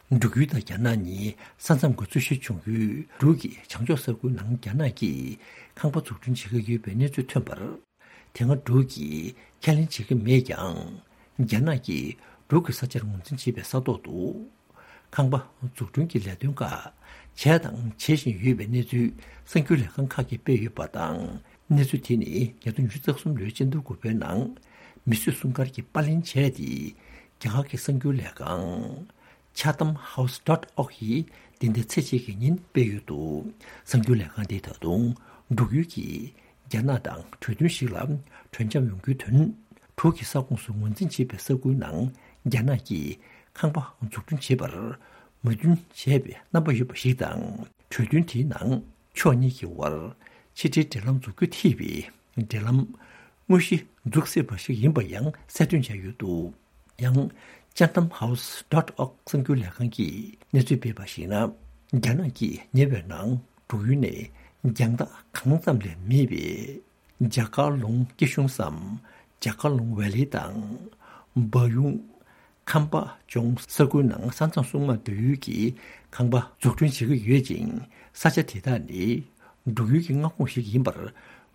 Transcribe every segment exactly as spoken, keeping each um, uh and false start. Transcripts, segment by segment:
འབྲུག་ཡུལ་དང་རྒྱ་ནག་གཉིས་ས་མཚམས་ཀྱི་རྩོད་གཞི་བྱུང་ཡུལ་འབྲུག་གི་བྱང་ཕྱོགས་ས་ཁུལ་ནང་རྒྱ་ནག་གིས་ཁང་པ་འཛུགས་སྐྲུན་བྱེད་ཀྱི་ཡོད་པའི་གནས་ཚུལ་ཐོན་པར། དེ་སྔ་འབྲུག་གིས་ཁས་ལེན་བྱེད་ཀྱི་མེད་ཀྱང་། རྒྱ་ནག་གིས་འབྲུག་གི་ས་ཆར་ངོས་འཛིན་བྱེད་པའི་ས་ཐོག་ཏུ། ཁང་པ་འཛུགས་སྐྲུན་གྱི་ལས་དོན་ཁག་བྱས་དང་བྱེད་བཞིན་ཡོད་པའི་གནས་ཚུལ་གསར་འགྱུར་ལས་ཁང་ཁག་གིས་སྤེལ་ཡོད་པ་དང་། གནས་ཚུལ་དེ་ནི་ཉིས་སྟོང་ཉི་ཤུ་རྩ་གསུམ་ལོའི་སྤྱི་ཟླ་དགུ་པའི་ནང་མི་གསོད་སྲུང་སྐར་གྱིས་པར་ལེན་བྱས་ཏེ། རྒྱ་གར་གྱི་གསར་འགྱུར་ལས་ཁང་Chatham House dot org ཡིས་འདི་ཟླའི་ཚེས་གཅིག་གི་ཉིན་སྤེལ་ཡོད་འདུག་གསར་འགྱུར་ལས་ཁང་དེས་ད་དུང་འབྲུག་ཡུལ་གྱིས་རྒྱ་ནག་དང་གྲོས་མཐུན་ཞིག་ལ་གྲོས་འཆམ་ཡོང་རྒྱུའི་དོན། འབྲུག་གི་ས་ཁོངས་སུ་ངོས་འཛིན་བྱེད་པའི་ས་ཁུལ་ནང་རྒྱ་ནག་གིས་ཁང་པ་འཛུགས་སྐྲུན་བྱེད་པར་མོས་མཐུན་བྱས་པའི་རྣམ་པ་ཡོད་པ་ཞིག་དང་། གྲོས་མཐུན་དེའི་ནང་ཕྱོགས་གཉིས་ཀྱི་དབར་ཕྱི་འབྲེལ་འབྲེལ་ལམ་འཛུགས་རྒྱུ་ཐེ་བའི་འབྲེལ་ལམ་དངོས་གཞི་འཛུགས་སྲིད་པ་ཞིག་ཡིན་པ་ཡང་གསལ་སྟོན་བྱས་ཡོད་འདུག་ཡང་། Chatham House dot org གསར་འགྱུར་ལས་ཁང་གིས་གནས་ཚུལ་སྤེལ་བར་གཞིགས་ན། རྒྱ་ནག་གིས་ཉེ་བའི་ནང་འབྲུག་ཡུལ་ནས་རྒྱང་ཐག་གང་ཙམ་ལས་མེད་པའི་ཇ་ཀར་ལུང་སྐྱིད་གཤོངས་སམ་ཇ་ཀར་ལུང་ཝེ་ལི་དང་། སྦ་ཡུང་། ཁམས་པ་ལྗོངས་ས་ཁུལ་ནང་ས་མཚམས་སྲུང་དམག་སྡོད་ཡུལ་གྱི་ཁང་པ་འཛུགས་སྐྲུན་བྱེད་ཀྱི་ཡོད་ཅིང་། ས་ཆ་དེ་དག་ནི་འབྲུག་ཡུལ་གྱི་མངའ་ཁོངས་ཤིག་ཡིན་པར་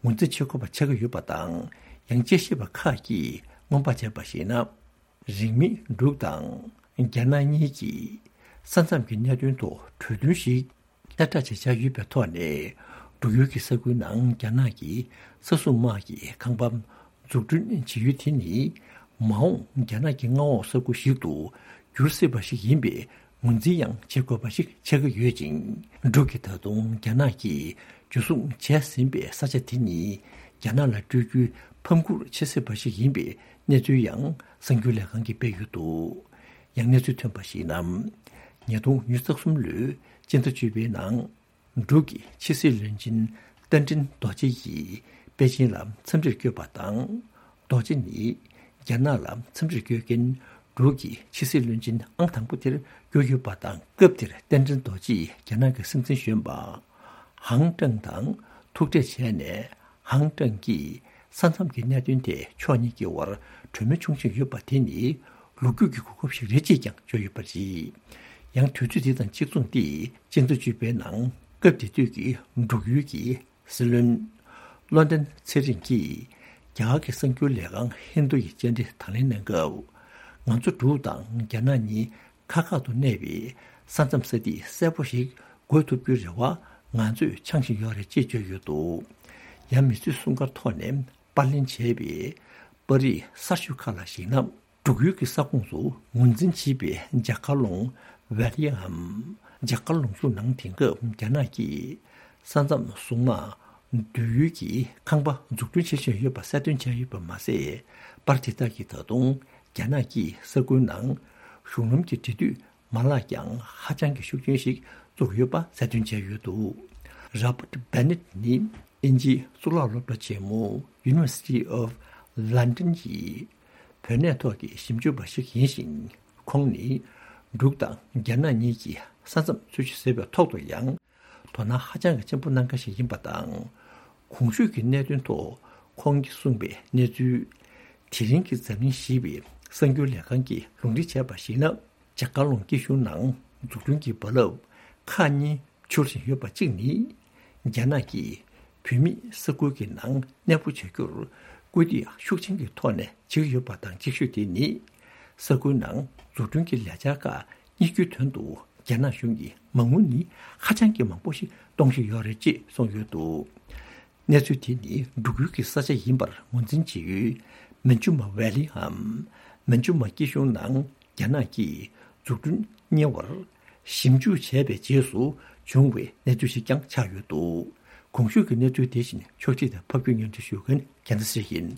ངོས་འཛིན་བྱེད་དགོས་པ་ཆགས་ཀྱི་ཡོད་པ་དང་། ཡང་དཔྱད་ཞིབ་པ་ཁག་གིས་སྔོན་དཔག་བྱས་པར་གཞིགས་ན། རིང་མིན་འབྲུག་དང་རྒྱ་ནག་གཉིས་ཀྱིས་ས་མཚམས་ཀྱི་གནད་དོན་ཐོག་གྲོས་མཐུན་ཞིག་གསལ་བསྒྲགས་བྱས་བཞག་ཡོད་པའི་ཐོག་ནས། འབྲུག་ཡུལ་གྱི་ས་ཁུལ་ནང་རྒྱ་ནག་གི་ས་སྲུང་དམག་གི་ཁང་པ་འཛུགས་སྐྲུན་བྱེད་ཡུལ་དེ་ནི་མ་འོངས་རྒྱ་ནག་གི་མངའ་འོག་ས་ཁུལ་ཞིག་ཏུ་འགྱུར་སྲིད་པ་ཞིག་ཡིན་པའི་ངོས་འཛིན་ཡང་བྱེད་དགོས་པ་ཞིག་ཆགས་ཀྱི་ཡོད་ཅིང་། འབྲུག་གིས་ད་དུང་རྒྱ་ནག་གིས་འཇུ་བཟུང་བྱས་ཟིན་པའི་ས་ཆ་དེ་ཉིད་རྒྱ་ནག་ལ་སྤྲོད་རྒྱུའི་ཕམ་ཁུར་བྱེད་སྲིད་པ་ཞིག་ཡིན་པའི་གནས་ཚུལ་ཡང་གསར་འགྱུར་ལས་ཁང་གིས་སྤེལ་ཡོད་འདུག་ཡང་གནས་ཚུལ་ཐོན་པར་གཞིགས་ན། ཉིས་སྟོང་ཉི་ཤུ་རྩ་གསུམ་ལོའི་སྤྱི་ཟླ་བཅུ་པའི་ནང་། འབྲུག་གི་ཕྱི་སྲིད་བློན་ཆེན་རྟ་མགྲིན་རྡོ་རྗེ་ཡིས་པེ་ཅིན་ལ་འཚམས་འདྲིར་བསྐྱོད་པ་དང་། རྡོ་རྗེ་ནི་རྒྱ་ནག་ལ་འཚམས་འདྲིར་བསྐྱོད་མཁན་འབྲུག་གི་ཕྱི་སྲིད་བློན་ཆེན་ཨང་དང་པོ་དེར་གྱུར་ཡོད་པ་དང་། སྐབས་དེར་རྟ་མགྲིན་རྡོ་རྗེ་ཡིས་རྒྱ་ནག་གི་སྲིད་འཛིན་གཞོན་པ་ཧང་ཀྲང་དང་ཐུག་འཕྲད་བྱས་ནས། ཧང་ཀྲང་གིས་ས་མཚམས་ཀྱི་གནད་དོན་ཐད་ཕྱོགས་གཉིས་ཀྱི་དབར་གྲོས་མོལ་བྱུང་བཞིན་ཡོད་པ་དེ་ནི་ལོ་རྒྱུས་ཀྱི་གོ་སྐབས་ཤིག་རེད་ཅེས་ཀྱང་བརྗོད་ཡོད་པ་རེད། ཡང་དུས་ཚོད་དེ་དང་གཅིག་མཚུངས་ཏེ། སྤྱི་ཟླ་བཅུ་པའི་ནང་སྐབས་དེ་དུས་ཀྱི་འབྲུག་ཡུལ་གྱི་སྲིད་བློན་བློ་ལྡན་ཚེ་རིང་གིས་རྒྱ་གར་གྱི་གསར་འགྱུར་ལས་ཁང་ཧིན་རྡུ་ཡི་བཅར་འདྲི་དང་ལེན་གནང་སྐབས། ང་ཚོ་འབྲུག་དང་རྒྱ་ནག་གཉིས་ཁ་ཁ་ཏུ་གནས་པའི་ས་མཚམས་ས་ཐིག་གསལ་པོ་ཞིག་འགོད་ཐུབ་རྒྱུའི་རེ་བ་ང་ཚོས་འཆང་བཞིན་ཡོད་རེད་ཅེས་བརྗོད་ཡོད་འདུག་ཡང་མི་གསོད་སྲུང་སྐར་ཐོག་ནས་པར་ལེན་བྱས་པའི་པར་རིས་གསར་ཤོས་ཁག་ལ་གཞིགས་ན། འབྲུག་ཡུལ་གྱི་ས་ཁོངས་སུ་ངོས་འཛིན་བྱེད་པའི་ཇ་ཀར་ལུང་ཝེ་ལི་འམ་ཇ་ཀར་ལུང་ཤུར་ནང་དེང་སྐབས་རྒྱ་ནག་གིས་ས་མཚམས་སྲུང་དམག་སྡོད་ཡུལ་གྱི་ཁང་པ་འཛུགས་སྐྲུན་བྱེད་བཞིན་ཡོད་པ་གསལ་སྟོན་བྱས་ཡོད་པ་མ་ཟད། པར་དེ་དག་གིས་ད་དུང་རྒྱ་ནག་གིས་ས་ཁུལ་ནང་གཞུང་ལམ་གྱི་འབྲེལ་མཐུད་མ་ལག་ཀྱང་ཧ་ཅང་གི་ཤུགས་ཆེན་ཞིག་བཙུགས་ཡོད་པ་གསལ་སྟོན་བྱས་ཡོད་འདུག Robert Bennett ནི་དབྱིན་ཇིའི་གཙུག་ལག་སློབ་གྲྭ་ཆེན་མོ་University of London ཡི་བོད་གནས་ཐོག་གི་ཞིབ་འཇུག་པ་ཞིག་ཡིན་ཞིང་། ཁོང་ནི་འབྲུག་དང་རྒྱ་ནག་གཉིས་ཀྱི་ས་མཚམས་རྩོད་གཞི་བཟོས་པའི་ཐོག་ཏུ་ཡང་དོ་སྣང་ཧ་ཅང་གི་ཆེན་པོ་གནང་མཁན་ཞིག་ཡིན་པ་དང་། གོང་ཞུས་ཀྱི་གནད་དོན་ཐོག་ཁོང་གིས་གསུངས་པའི་གནས་ཚུལ། དེ་རིང་གི་འཛམ་གླིང་ཞེས་པའི་གསར་འགྱུར་ལས་ཁང་གིས་ལུང་འདྲེན་བྱས་པར་གཞིགས་ན། ཇ་ཀར་ལུང་སྐྱིད་གཤོངས་ནང་འཛུགས་སྐྲུན་གྱི་རྦ་རླབས་ཁག་གཉིས་འཕྱུར་བཞིན་ཡོད་པ་གཅིག་ནི། རྒྱ་ནག་གིས་བོད་མིས་ས་ཁུལ་གྱི་ནང་གནས་སྤོ་བྱ་རྒྱུར་སྐུལ་འདེད་ཤུགས་ཆེན་གྱི་ཐོག་ནས་བྱེད་ཀྱི་ཡོད་པ་དང་། གཅིག་ཤོས་དེ་ནི་ས་ཁུལ་ནང་འཛུགས་སྐྲུན་གྱི་ལས་འཆར་ཁག་གཉེར་རྒྱུའི་དོན་དུ་རྒྱ་ནག་གཞུང་གིས་མ་དངུལ་ནི་ཧ་ཅང་གི་མང་པོ་ཞིག་གཏོང་བཞིན་ཡོད་རེད་ཅེས་གསུངས་ཡོད་འདུག་གནས་ཚུལ་དེ་ནི་འབྲུག་ཡུལ་གྱི་ས་ཆ་ཡིན་པར་ངོས་འཛིན་བྱེད་ཡུལ་མན་ཇུ་མ་ཝེ་ལི་འམ་མན་ཇུ་མ་སྐྱིད་གཤོངས་ནང་རྒྱ་ནག་གིས་འཛུགས་སྐྲུན་གཉེར་བར་ཞིབ་འཇུག་བྱས་པའི་རྗེས་སུ་བྱུང་བའི་གནས་ཚུལ་ཞིག་ཀྱང་ཆགས་ཡོད་འདུག་གོང་ཞུས་ཀྱི་གནས་ཚུལ་དེ་བཞིན་ཕྱོགས་སྒྲིག་དང་ཕབ་སྒྱུར་སྙན་སྒྲོན་ཞུ་མཁན་རྒྱལ་མཚན་ཡིན།